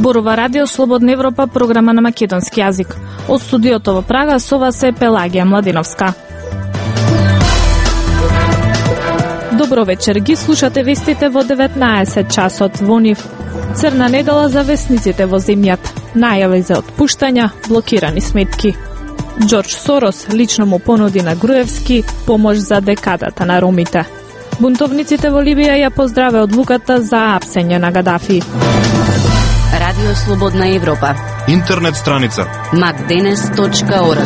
Зборува Радио Слободна Европа, програма на македонски јазик. Од студиото во Прага со вас е Пелагија Младиновска. Добро вечер, ги слушате вестите во 19 часот во нив. Црна недела за весниците во земјата. Најави за отпуштања, блокирани сметки. Џорџ Сорос лично му понуди на Груевски помош за декадата на ромите. Бунтовниците во Либија ја поздраве одлуката за апсење на Гадафи. Радио Слободна Европа. Интернет страница macdenes.org.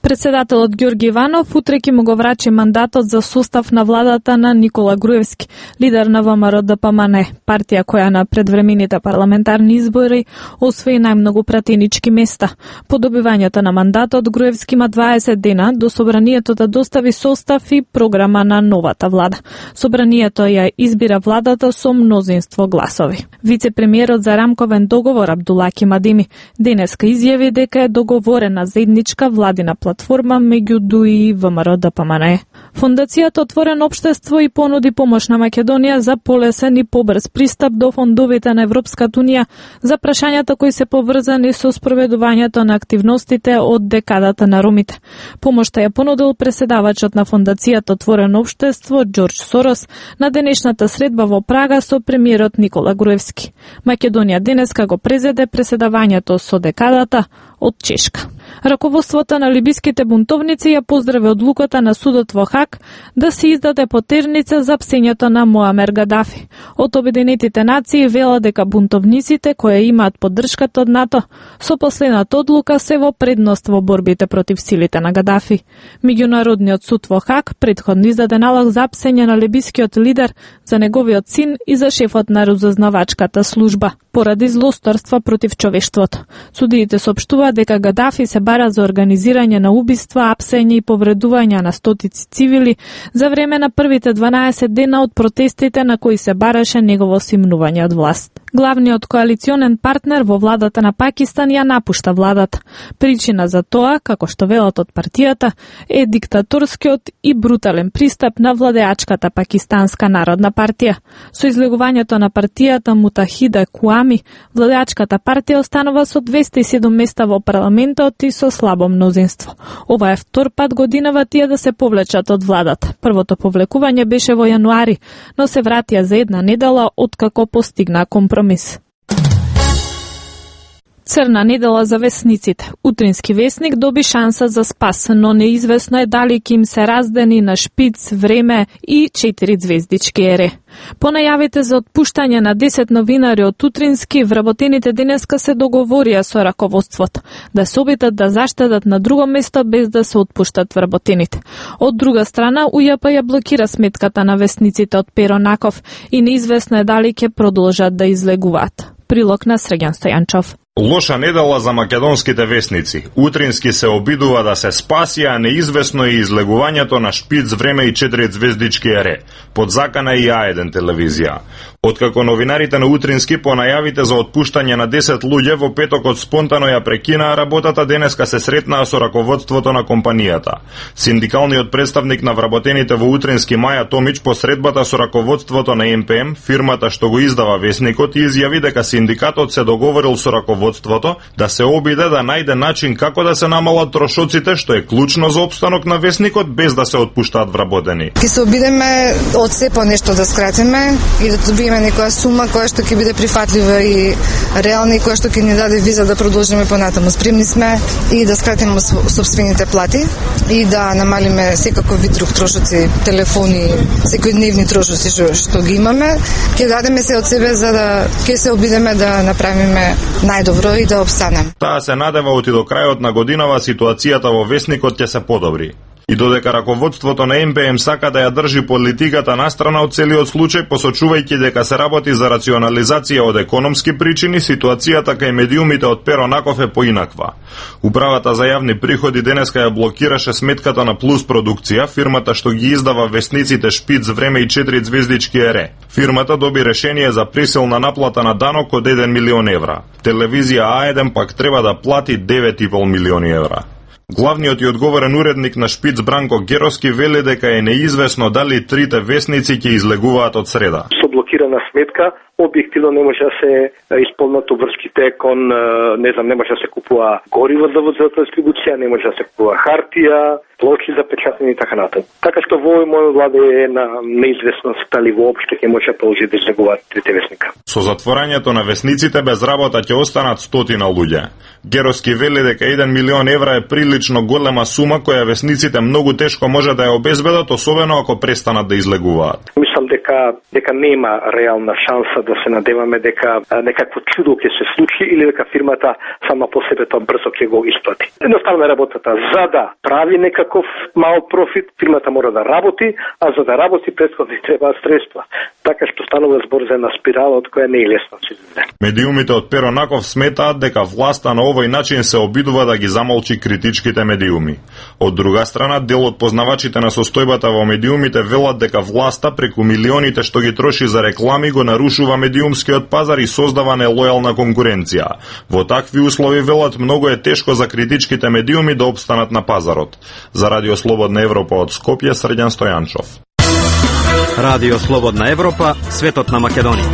Председателот Ѓорги Иванов утре ќе му го врачи мандатот за состав на владата на Никола Груевски, лидер на ВМРО-ДПМН, партија која на предвремените парламентарни избори освои најмногу пратенички места. По добивањето на мандатот, Груевски има 20 дена до собранието да достави состав и програма на новата влада. Собранието ја избира владата со мнозинство гласови. Вице-премиерот за рамковен договор Абдулаки Мадими денеска изјави дека е договорена заедничка владина платформа меѓу ДУИ и ВМРО-ДПМН. Фондацијата Отворено општество и понуди помош на Македонија за полесен и побрз пристап до фондовите на Европската унија за прашањата кои се поврзани со спроведувањето на активностите од декадата на ромите. Помошта ја понудил преседавачот на Фондацијата Отворено општество Џорџ Сорос на денешната средба во Прага со премиерот Никола Груевски. Македонија денеска го презеде преседавањето со декадата од Чешка. Раководството на либиските бунтовници ја поздрави одлуката на судот во Хаг да се издаде потерница за апсењето на Муамер Гадафи. Од Обединетите нации вела дека бунтовниците кои имаат поддршката од НАТО со последната одлука се во предност во борбите против силите на Гадафи. Меѓународниот суд во Хаг претходно издаде налог за апсење на либискиот лидер, за неговиот син и за шефот на разузнавачката служба поради злосторства против човештвото. Судиите соопштуваат дека Гадафи се бара за организирање на убиства, апсење и повредување на стотици цивили за време на првите 12 дена од протестите на кои се бараше негово симнување од власт. Главниот коалиционен партнер во владата на Пакистан ја напушта владата. Причина за тоа, како што велат од партијата, е диктаторскиот и брутален пристап на владеачката Пакистанска народна партија. Со излегувањето на партијата Мутахида Куами, владеачката партија останува со 207 места во парламентот и со слабо мнозинство. Ова е втор пат годинава тие да се повлечат од владата. Првото повлекување беше во јануари, но се вратија за една недела откако постигна компромис. Црна недела за весниците. Утрински весник доби шанса за спас, но неизвестно е дали ќе им се раздени на Шпиц, Време и 4 звездички ере. По најавите за отпуштање на 10 новинари од Утрински, вработените денеска се договорија со раководството да се обидат да заштедат на друго место без да се отпуштат вработените. Од друга страна, УЈП ја блокира сметката на весниците од Перо Наков и неизвестно е дали ќе продолжат да излегуваат. Прилог на Срѓан Стојанчов. Лоша недела за македонските весници. Утрински се обидува да се спаси, а неизвестно е излегувањето на Шпиц, Време и 4 звездички ере. Под закана и А1 телевизија. Откако новинарите на Утрински по најавите за отпуштање на 10 луѓе во петокот спонтано ја прекинаа работата, денеска се сретнаа со раководството на компанијата. Синдикалниот представник на вработените во Утрински Маја Томич по средбата со раководството на МПМ, фирмата што го издава весникот, изјави дека синдикатот се договорил со раководството да се обиде да најде начин како да се намалат трошоците, што е клучно за опстанок на весникот без да се отпуштаат вработени. Ќе се обидеме од се по нешто да скратиме и да добиеме некоја сума која што ќе биде прифатлива и реална и која што ќе ни даде виза да продолжиме понатаму. Спремни сме и да скратиме сопствените плати и да намалиме секаков вид друг трошоци, телефони, секојдневни трошоци што ги имаме. Ќе дадеме се од себе за да ќе се обидеме да направиме најдобро и да обстанем. Таа се надева оти до крајот на годинава ситуацијата во весникот ќе се подобри. И додека раководството на МПМ сака да ја држи политиката настрана од целиот случај, посочувајќи дека се работи за рационализација од економски причини, ситуацијата кај медиумите од Перо Наков е поинаква. Управата за јавни приходи денеска ја блокираше сметката на Плюс продукција, фирмата што ги издава весниците Шпиц, Време и 4 звездички ере. Фирмата доби решение за присилна наплата на данок од 1 милион евра. Телевизија А1 пак треба да плати 9,5 милиони евра. Главниот и одговорен уредник на Шпиц Бранко Геровски вели дека е неизвестно дали трите весници ќе излегуваат од среда. Со блокирана сметка, објективно не може да се исполнат обврските кон, не може да се купува гориво за дистрибуција, не може да се купува хартија, плочи за печатење и така натаму. Така што во овој момент влада е на неизвестност дали воопшто ќе може да продолжи да излегуваат трите вестника. Со затворањето на вестниците без работа ќе останат стотина луѓе. Геровски вели дека 1 милион евра е прилично голема сума која вестниците многу тешко може да ја обезбедат, особено ако престанат да излегуваат. Мислам дека нема реална шанса да се надеваме дека некакво чудо ќе се случи или дека фирмата сама по себе тоа брзо ќе го исплати. Едноставно работата за да прави некаков мал профит, фирмата мора да работи, а за да работи претходно требаат средства. Така што станува збор за една спирала од која не е лесно да се излезе. Медиумите од Перо Наков сметаат дека власта на овој начин се обидува да ги замолчи критичките медиуми. Од друга страна, дел од познавачите на состојбата во медиумите велат дека власта преку милионите што ги троши за реклами го нарушува медиумскиот пазар и создава нелојална конкуренција. Во такви услови велат многу е тешко за критичките медиуми да опстанат на пазарот. За Радио Слободна Европа од Скопје, Срđan Стојанчов. Радио Слободна Европа, светот на Македонија.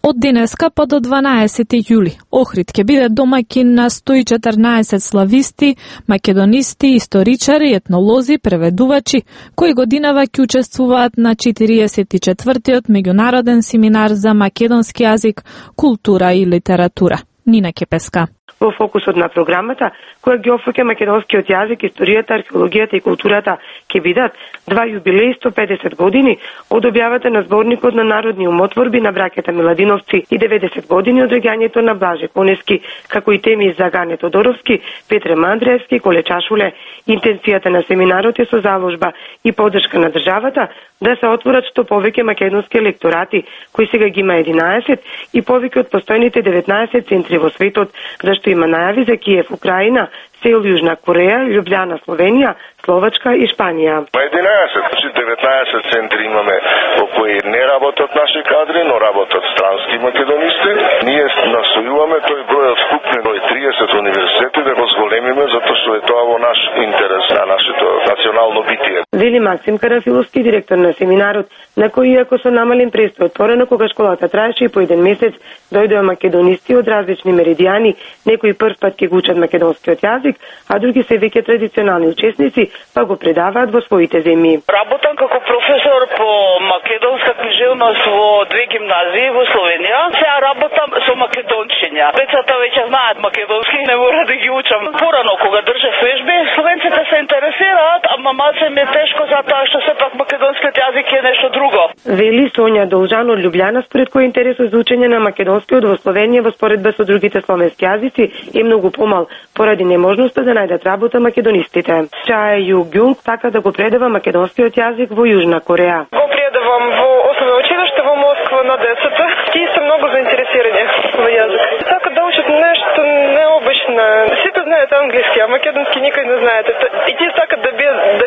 Од денеска па до 12 јули, Охрид ќе биде домаќин на 114 слависти, македонисти, историчари, етнолози, преведувачи, кои годинава ќе учествуваат на 44-тиот меѓународен семинар за македонски јазик, култура и литература. Нина Кепеска. Во фокусот на програмата, која ги опфаќа македонскиот јазик, историјата, археологијата и културата, ќе бидат 2 јубилеи 150 години од објавата на зборникот на народни умотворби на браќата Миладиновци и 90 години од реѓањето на Блаже Конески, како и теми за Гане Тодоровски, Петре Мандреевски, Коле Чашуле. Интенцијата на семинарот е со заложба и поддршка на државата да се отворат што повеќе македонски лекторати, кои сега ги има 11 и повеќе од постојните 19 центри во светот, зашто има најави за Киев, Украина, Сеул, Јужна Кореја, Љубљана, Словенија, Словачка и Шпанија. 19 центри имаме во кои не работат наши кадри, но работат странски македонисти. Ние настојуваме тој број од вкупни број 30 универзитети да го зголемиме, затоа што е тоа во наш интерес, на нашето национално битие. Вели Максим Карафиловски, директор на семинарот, на кој иако со намален престој отворено кога школата траеше и по еден месец, дојдоа македонисти од различни меридијани, некои прв пат ќе го учат македонскиот јазик, а други се веќе традиционални учесници, па го предаваат во своите земји. Работам како професор по македонска книжевност во 2 гимназии во Словенија. Сега работам со македончиња. Децата веќе знаат македонски, не мора да ги учам. Порано кога држев вежби, словенците се интересираат, ама малце ми е тешко затоа што сепак македонскиот јазик е нешто друго. Вели Сонја Должан од Љубљана, според кој интересот за учење на македонскиот во Словенија во споредба со другите словенски јазици е многу помал, поради неможноста да најдат работа македонистите. Чај Југјунг така да го предава македонскиот јазик во Јужна Кореја. Го предавам во основно училиште во Москва на децата. Тие се многу заинтересирани во јазик. Сакаат да учат нешто необично. Сите знаат англиски, а македонски никој не знаат. И тие сакаат да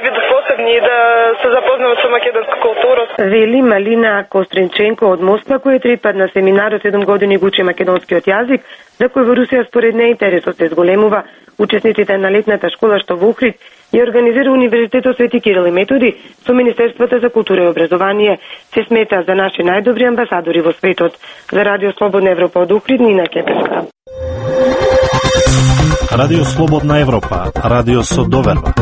бидат посебни и да се запознаат со македонска култура. Вели Малина Костренченко од Москва, која е 3 пат на семинарот 7 години го учи македонскиот јазик, за кој во Русија според неј интересот се зголемува. Учесниците на летната школа што во Охрид ја организира Универзитетот Свети Кирил и Методи со Министерството за култура и образование, се смета за наши најдобри амбасадори во светот. За Радио Слободна Европа од Охрид, Нина Кепеска. Радио Слободна Европа, радио со доверба.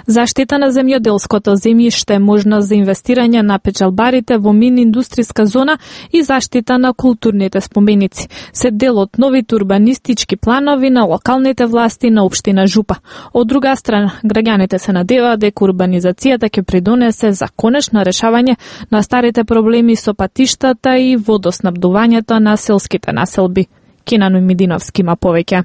Заштита на земјоделското земјиште, можност за инвестирање на печалбарите во мини-индустријска зона и заштита на културните споменици се дел од новите урбанистички планови на локалните власти на општина Жупа. Од друга страна, граѓаните се надеваат дека урбанизацијата ќе придонесе за конечно решавање на старите проблеми со патиштата и водоснабдувањето на селските населби. Кинано Мидиновски има повеќе.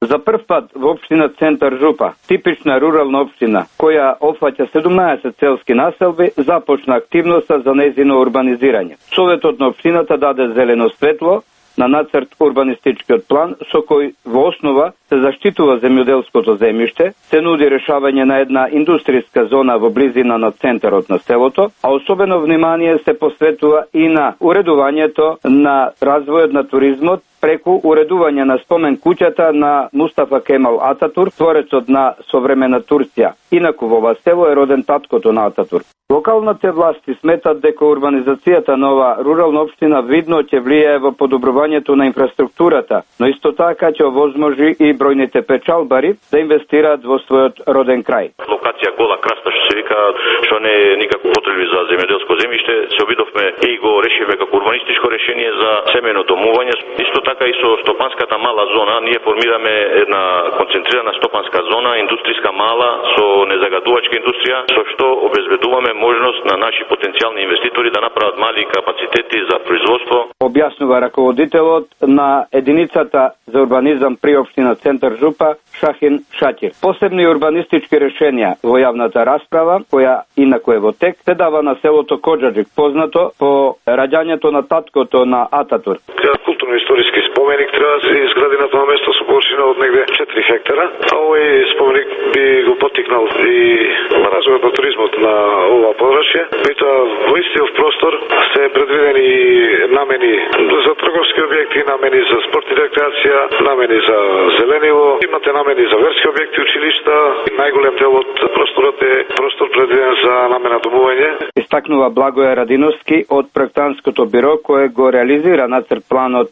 За прв пат во општина Центар Жупа, типична рурална општина, која опфаќа 17 селски населби, започна активноста за нејзино урбанизирање. Советот на општината даде зелено светло на нацрт урбанистичкиот план, со кој во основа се заштитува земјоделското земјиште, се нуди решавање на една индустријска зона во близина на центарот на селото, а особено внимание се посветува и на уредувањето на развојот на туризмот преку уредување на спомен куќата на Мустафа Кемал Ататурк, творецот на современа Турција. Инаку во ова село е роден таткото на Ататурк. Локалните власти сметат дека урбанизацијата на ова рурална општина видно ќе влијае во подобрувањето на инфраструктурата, но исто така ќе овозможи и бројните печалбари да инвестираат во својот роден крај. Локација гола краста што се вика, што не е никако потреби за земјоделско земјиште, се обидовме и го решивме како урбанистичко решение за семено домување. Исто така и со стопанската мала зона, ние формираме една концентрирана стопанска зона, индустријска мала со незагадувачка индустрија, со што обезбедуваме можност на наши потенцијални инвеститори да направат мали капацитети за производство. Објаснува раководителот на единицата за урбанизам при општина Центар Жупа Шахин Шакир. Посебни урбанистички решенија во јавната расправа, која инаку е во тек, се дава на селото Коджаджик, познато по раѓањето на таткото на Ататурк. Културно-историски споменик треба да се изгради на тоа место со површина од негде 4 хектара, а овој споменик би го поттикнал и развојот на туризмот на ова подрачје. Меѓутоа во истиот простор се предвидени намени за трговски објекти, намени за спорт и рекреација, намени за зелениво, имате намени за верски објекти, училишта. Најголем дел од просторот е простор предвиден за намена домување. Истакнува Благоја Радиновски од проектантското биро кое го реализира нацрт планот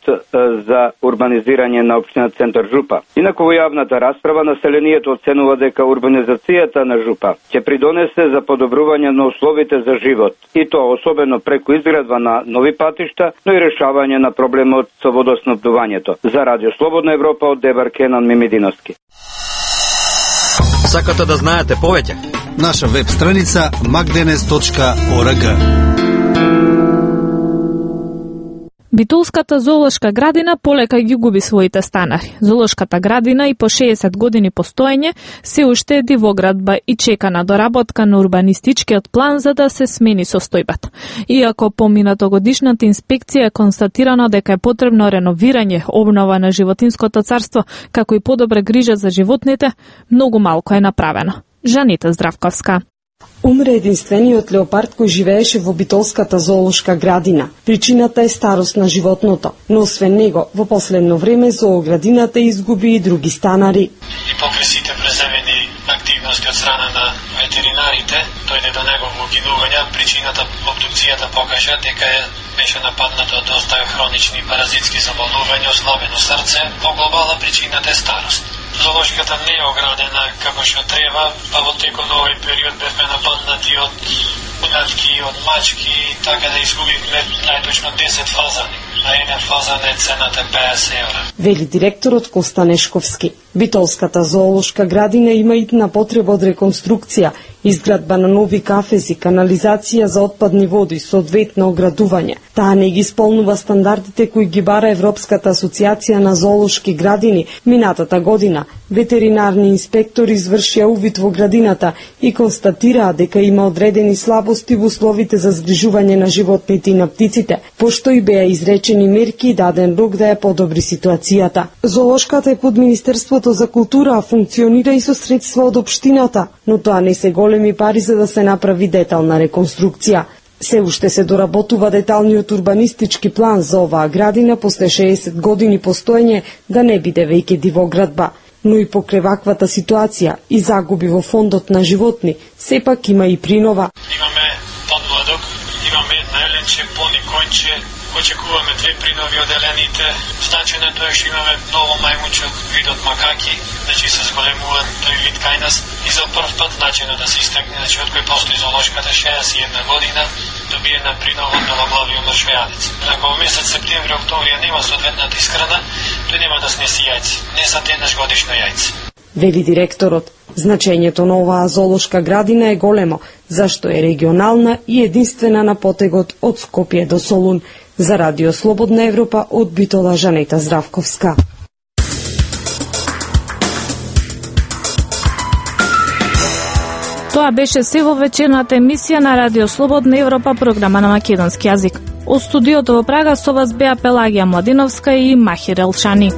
за урбанизирање на општина Центар Жупа. Инаку во јавната расправа населението оценува дека урбанизацијата на Жупа ќе придонесе за подобрување на условите за живот, и тоа особено преку изградба на нови патишта, но и решавање на проблемот со водоснабдувањето. За Радио Слободна Европа од Дебар Кенан Мимидиновски. Сакате да знаете повеќе? Наша веб страница magdenes.org. Битолската зоолошка градина полека ги губи своите станари. Зоолошката градина и по 60 години постоење се уште е дивоградба и чека на доработка на урбанистичкиот план за да се смени состојбата. Иако по минатогодишната инспекција е констатирано дека е потребно реновирање, обнова на животинското царство, како и подобра грижа за животните, многу малку е направено. Жанита Здравковска. Умре единствениот леопард кој живееше во Битолската зоолошка градина. Причината е старост на животното, но освен него, во последно време зооградината изгуби и други станари. И покрај сите преземени активности од страна на ветеринарите, дојде до негово гинување. Причината, обдукцијата покажа дека беше нападнато од доста хронични паразитски заболнувања, ослабено срце. По глобална причината е старост. Зоолошката не е оградена како што треба, па во текот на овој период бевме нападнати од унатки, од мачки, така да изгубивме најточно 10 фазани, а еден фазан е цената 50 евра. Вели директорот Коста Нешковски. Битолската зоолошка градина има итна потреба од реконструкција, изградба на нови кафези, канализација за отпадни води, соодветно оградување. Таа не ги исполнува стандардите кои ги бара Европската асоциација на зоолошки градини. Минатата година ветеринарни инспектори извршија увид во градината и констатираа дека има одредени слабости во условите за згрижување на животните и на птиците, пошто и беа изречени мерки и даден рок да ја подобри ситуацијата. Зоолошката е под Министерството за култура, а функционира и со средства од општината, но тоа не се големи пари за да се направи детална реконструкција. Се уште се доработува деталниот урбанистички план за оваа градина после 60 години постоење да не биде веќе дивоградба. Но и покрај ваквата ситуација и загуби во фондот на животни, сепак има и принова. Имаме подмладок, имаме една еленче, пони конче, очекуваме 2 принови од елените. Значено е тоа што имаме ново мајмуче од видот макаки, значи се зголемуваат тој вид кај нас и за прв пат значено да се истакне, значи од кој постои зоолошката 61 година, добиена принова од новоглавиот мршвејадец. Ако во месец септември, октомври нема соодветната исхрана, тој нема да снеси јајци, не са еднаш годишно јајци. Вели директорот, значењето на оваа зоолошка градина е големо, зашто е регионална и единствена на потегот од Скопје до Солун. За Радио Слободна Европа од Битола, Жанета Здравковска. Тоа беше се во вечерната емисија на Радио Слободна Европа, програма на македонски јазик. Од студиото во Прага со вас беа Пелагија Младиновска и Махир Елшани.